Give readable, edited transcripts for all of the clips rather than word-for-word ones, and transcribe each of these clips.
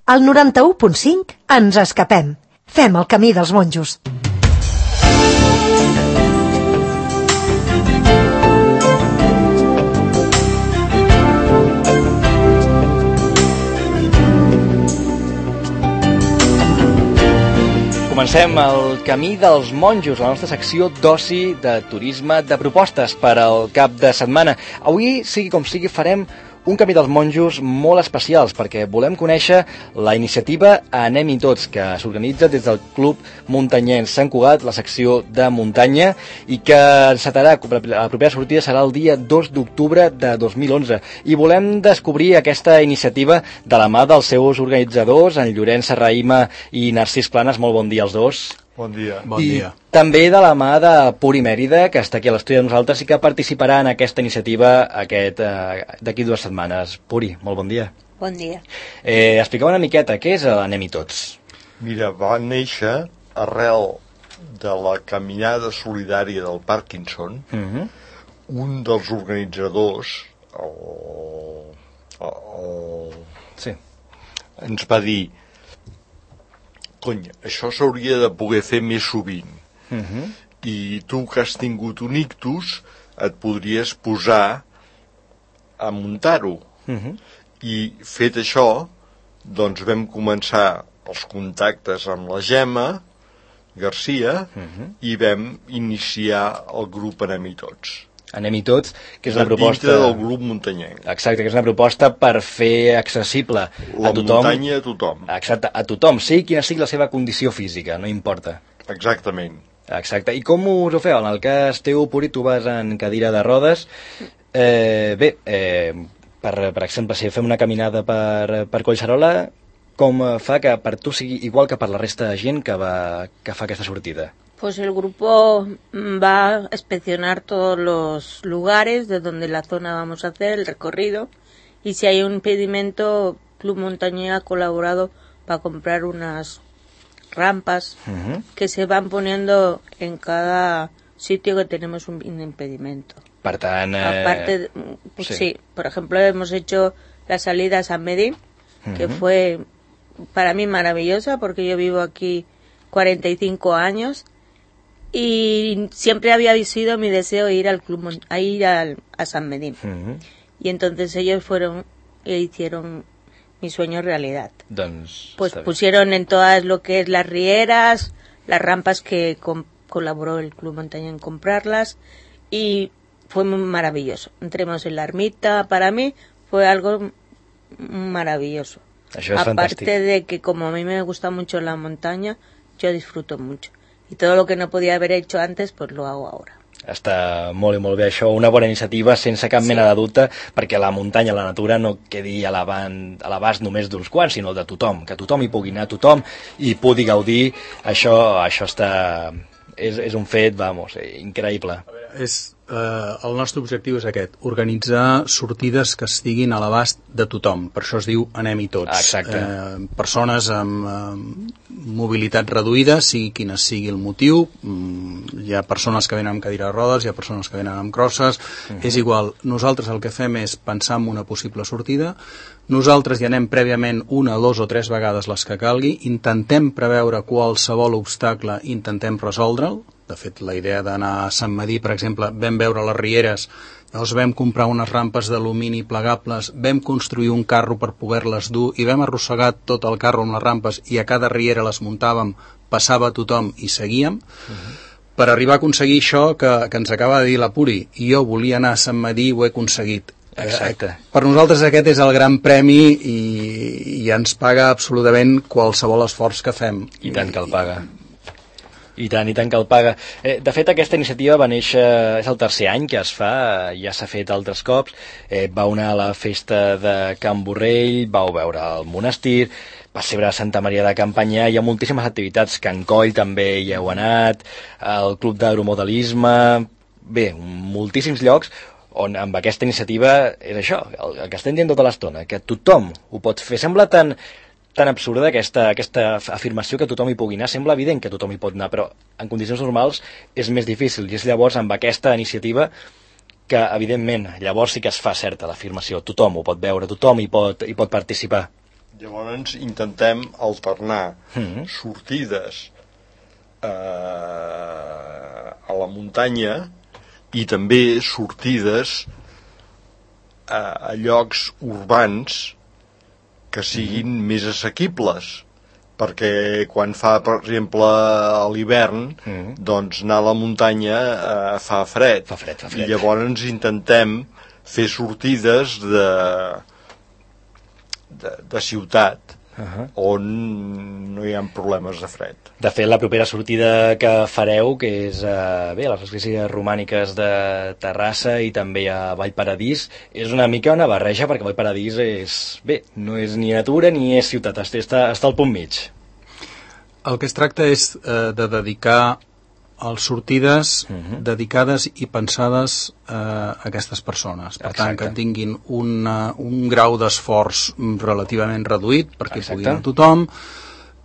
Al 91.5 ens escapem. Fem el camí dels monjos. Comencem el camí dels monjos, la nostra secció d'oci, de turisme, de propostes per al cap de setmana. Avui, sigui com sigui, farem un camí dels monjos molt especials perquè volem conèixer la iniciativa Anem-hi tots, que s'organitza des del Club Muntanyenc Sant Cugat, la secció de muntanya, i que encetarà, la propera sortida serà el dia 2 d'octubre de 2011. I volem descobrir aquesta iniciativa de la mà dels seus organitzadors, en Llorenç Serrahima i Narcís Planes. Molt bon dia als dos. Bon dia. Bon dia. També de la mà de Puri Mèrida, que està aquí a l'estudi de nosaltres i que participarà en aquesta iniciativa d'aquí 2 setmanes. Puri, molt bon dia. Bon dia. Expliqueu una miqueta, què és l'Anem-hi tots? Mira, va néixer arrel de la caminada solidària del Parkinson. Un dels organitzadors, Sí. ens va dir: cony, això s'hauria de poder fer més sovint. I tu, que has tingut un ictus, et podries posar a muntar-ho. I fet això, doncs vam començar els contactes amb la Gemma Garcia i vam iniciar el grup Anem-hi tots. Anem-hi tots, que és una proposta... Dintre del grup muntanyenc. Exacte, que és una proposta per fer accessible la a tothom. La muntanya a tothom. Exacte, a tothom, sigui quina sigui la seva condició física, no importa. Exactament. Exacte, i com us ho feu? En el cas teu, Puri, tu vas en cadira de rodes. Per exemple, si fem una caminada per Collserola, com fa que per tu sigui igual que per la resta de gent que fa aquesta sortida? Pues el grupo va a inspeccionar todos los lugares de donde la zona vamos a hacer el recorrido, y si hay un impedimento, Club Montañés ha colaborado para comprar unas rampas que se van poniendo en cada sitio que tenemos un impedimento. Per tant, aparte, pues sí, por ejemplo, hemos hecho la salida a San Medín, que fue para mí maravillosa porque yo vivo aquí 45 años. Y siempre había sido mi deseo ir al club, a San Medín. Y entonces ellos fueron e hicieron mi sueño realidad. Pues pusieron en todas lo que es las rieras, las rampas que colaboró el Club Montaña en comprarlas, y fue muy maravilloso. Entremos en la ermita, para mí fue algo maravilloso. Aparte de que como a mí me gusta mucho la montaña, yo disfruto mucho. I tot el que no podia haver hecho antes, pues lo hago ahora. Està molt i molt bé això, una bona iniciativa sense cap mena de dubte, perquè la muntanya, la natura no quedi a l'abast només d'uns quants, sinó de tothom, que tothom hi pugui anar, tothom hi pugui gaudir. Això està... és un fet, vamos, increïble. El nostre objectiu és aquest, organitzar sortides que estiguin a l'abast de tothom, per això es diu Anem-hi tots. Exacte. Persones amb mobilitat reduïda, sigui quina sigui el motiu, hi ha persones que venen amb cadira de rodes, hi ha persones que venen amb crosses, és igual, nosaltres el que fem és pensar en una possible sortida, nosaltres hi anem prèviament 1, 2 o 3 vegades les que calgui, intentem preveure qualsevol obstacle, intentem resoldre'l. De fet, la idea d'anar a Sant Medí, per exemple, vam veure les rieres, llavors vam comprar unes rampes d'alumini plegables, vam construir un carro per poder-les dur i vam arrossegar tot el carro amb les rampes i a cada riera les muntàvem, passava tothom i seguíem. Per arribar a aconseguir això que ens acaba de dir la Puri, i jo volia anar a Sant Medí i ho he aconseguit. Exacte. Per nosaltres aquest és el gran premi i ens paga absolutament qualsevol esforç que fem. I tant que el paga. I tant que el paga. De fet, aquesta iniciativa va néixer, és el 3è any que es fa, ja s'ha fet altres cops, vau anar a la festa de Can Borrell, vau veure el monestir, va ser a Santa Maria de Campanyà, hi ha moltíssimes activitats, Can Coll també hi heu anat, el Club d'Agromodelisme, bé, moltíssims llocs on amb aquesta iniciativa és això, el que estem dient tota l'estona, que tothom ho pot fer. Sembla tan absurda aquesta afirmació que tothom hi pugui anar, sembla evident que tothom hi pot anar, però en condicions normals és més difícil, i és llavors amb aquesta iniciativa que evidentment llavors sí que es fa certa l'afirmació, tothom ho pot veure, tothom hi pot participar. Llavors intentem alternar sortides a la muntanya i també sortides a llocs urbans que siguin més assequibles, perquè quan fa, per exemple, a l'hivern, doncs anar a la muntanya fa fred. Fa fred. I llavors intentem fer sortides de ciutat on no hi ha problemes de fred. De fet, la propera sortida que fareu, que és a les esglésies romàniques de Terrassa i també a Vallparadís, és una mica una barreja, perquè Vallparadís no és ni natura ni és ciutat, està al punt mig. El que es tracta és de dedicar les sortides dedicades i pensades a aquestes persones. Per tant, que tinguin un grau d'esforç relativament reduït perquè pugui anar tothom,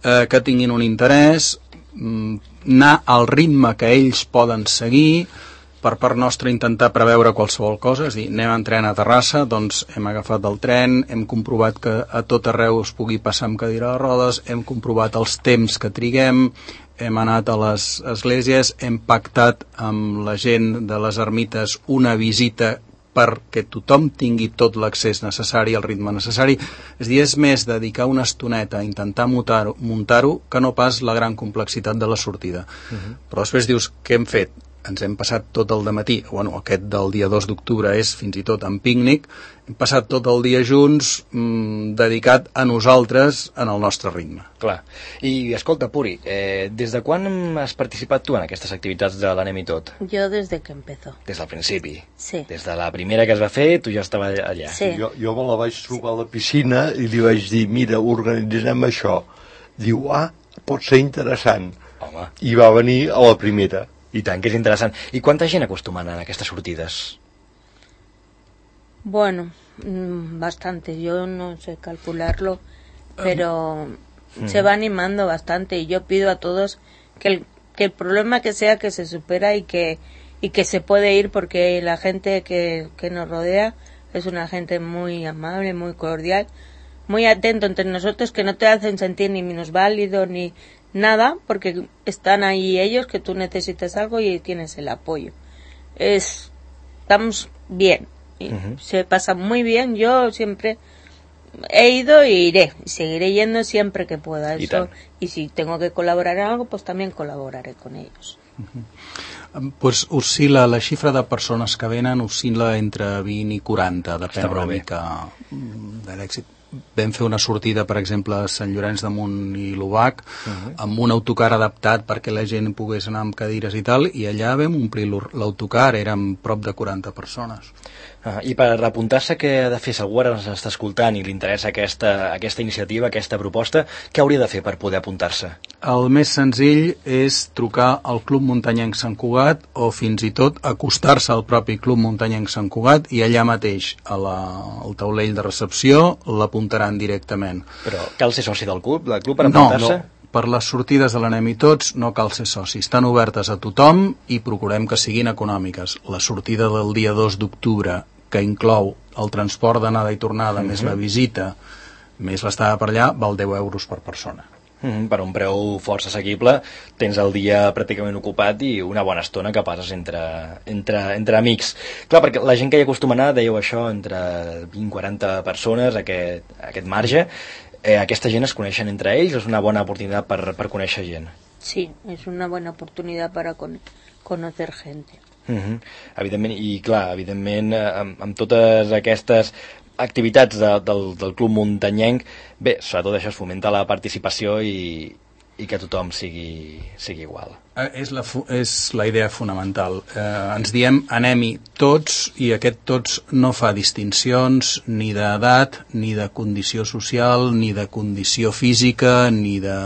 que tinguin un interès, anar al ritme que ells poden seguir. Per part nostra intentar preveure qualsevol cosa, és a dir, anem en tren a Terrassa, doncs hem agafat el tren, hem comprovat que a tot arreu es pugui passar amb cadira de rodes, hem comprovat els temps que triguem, hem anat a les esglésies, hem pactat amb la gent de les ermites una visita perquè tothom tingui tot l'accés necessari, el ritme necessari. És a dir, és més dedicar una estoneta a intentar muntar-ho que no pas la gran complexitat de la sortida. Però després dius, què hem fet? Ens hem passat tot el dematí, aquest del dia 2 d'octubre és fins i tot en pícnic, hem passat tot el dia junts dedicat a nosaltres en el nostre ritme. Clar. I escolta, Puri, des de quan has participat tu en aquestes activitats de l'Anem i Tot? Jo des de que empezó. Des del principi? Sí. Des de la primera que es va fer, tu ja estava allà? Sí. Jo me la vaig trobar a la piscina i li vaig dir, mira, organitzem això. Diu, pot ser interessant. Home. I va venir a la primera. I tant, que és interessant. I quanta gent acostuma a anar en aquestes sortides? Bueno, bastante. Yo no sé calcularlo, pero se va animando bastante. Y yo pido a todos que el problema que sea que se supera y que se puede ir, porque la gente que nos rodea es una gente muy amable, muy cordial, muy atento entre nosotros, que no te hacen sentir ni minusválido ni nada, porque están ahí ellos, que tú necesitas algo y tienes el apoyo. Estamos bien, y se pasa muy bien. Yo siempre he ido e iré, y seguiré yendo siempre que pueda. Y si tengo que colaborar en algo, pues también colaboraré con ellos. Pues oscil·la, la xifra de persones que venen oscil·la entre 20 i 40, depèn una mica de l'èxit. Vam fer una sortida, per exemple, a Sant Llorenç de Munt i l'Obac, amb un autocar adaptat perquè la gent pogués anar amb cadires i tal, i allà vam omplir l'autocar, érem prop de 40 persones. I per apuntar-se, què ha de fer? Si algú ara ens està escoltant i li interessa aquesta iniciativa, aquesta proposta, què hauria de fer per poder apuntar-se? El més senzill és trucar al Club Muntanyenc Sant Cugat o fins i tot acostar-se al propi Club Muntanyenc Sant Cugat i allà mateix, al taulell de recepció, l'apuntaran directament. Però cal ser soci del club per apuntar-se? No. Per les sortides de l'Anem i Tots no cal ser soci. Estan obertes a tothom i procurem que siguin econòmiques. La sortida del dia 2 d'octubre, que inclou el transport d'anada i tornada, més la visita, més l'estada per allà, val 10 euros per persona. Per un preu força assequible tens el dia pràcticament ocupat i una bona estona que passes entre amics. Clar, perquè la gent que hi acostuma a anar, dèieu això, entre 20-40 persones, aquest marge, aquesta gent es coneixen entre ells, és una bona oportunitat per conèixer gent. Sí, és una bona oportunitat per conocer gente. Evidentment, i clar, evidentment amb totes aquestes activitats del Club Muntanyenc, bé, sobretot això es fomenta la participació i que tothom sigui igual. És la idea fonamental. Ens diem anem-hi tots, i aquest tots no fa distincions ni d'edat, ni de condició social, ni de condició física, ni de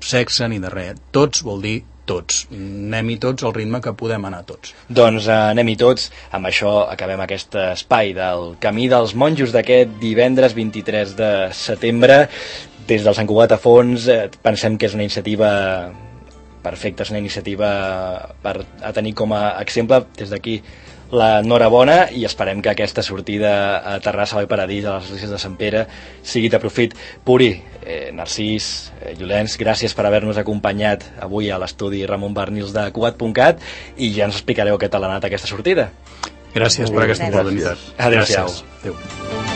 sexe, ni de res. Tots vol dir tots. Anem-hi tots al ritme que podem anar tots. Doncs anem-hi tots. Amb això acabem aquest espai del Camí dels Monjos d'aquest divendres 23 de setembre. Des del Sant Cugat a Fons pensem que és una iniciativa perfecta, és una iniciativa a tenir com a exemple. Des d'aquí l'enhorabona i esperem que aquesta sortida a Terrassa Vall Paradís, a les esglésies de Sant Pere, sigui de profit. Puri, Narcís, Llorenç, gràcies per haver-nos acompanyat avui a l'estudi Ramon Barnils de Cugat.cat i ja ens explicareu què tal ha anat aquesta sortida. Gràcies per aquesta oportunitat. Adéu-siau. Adéu.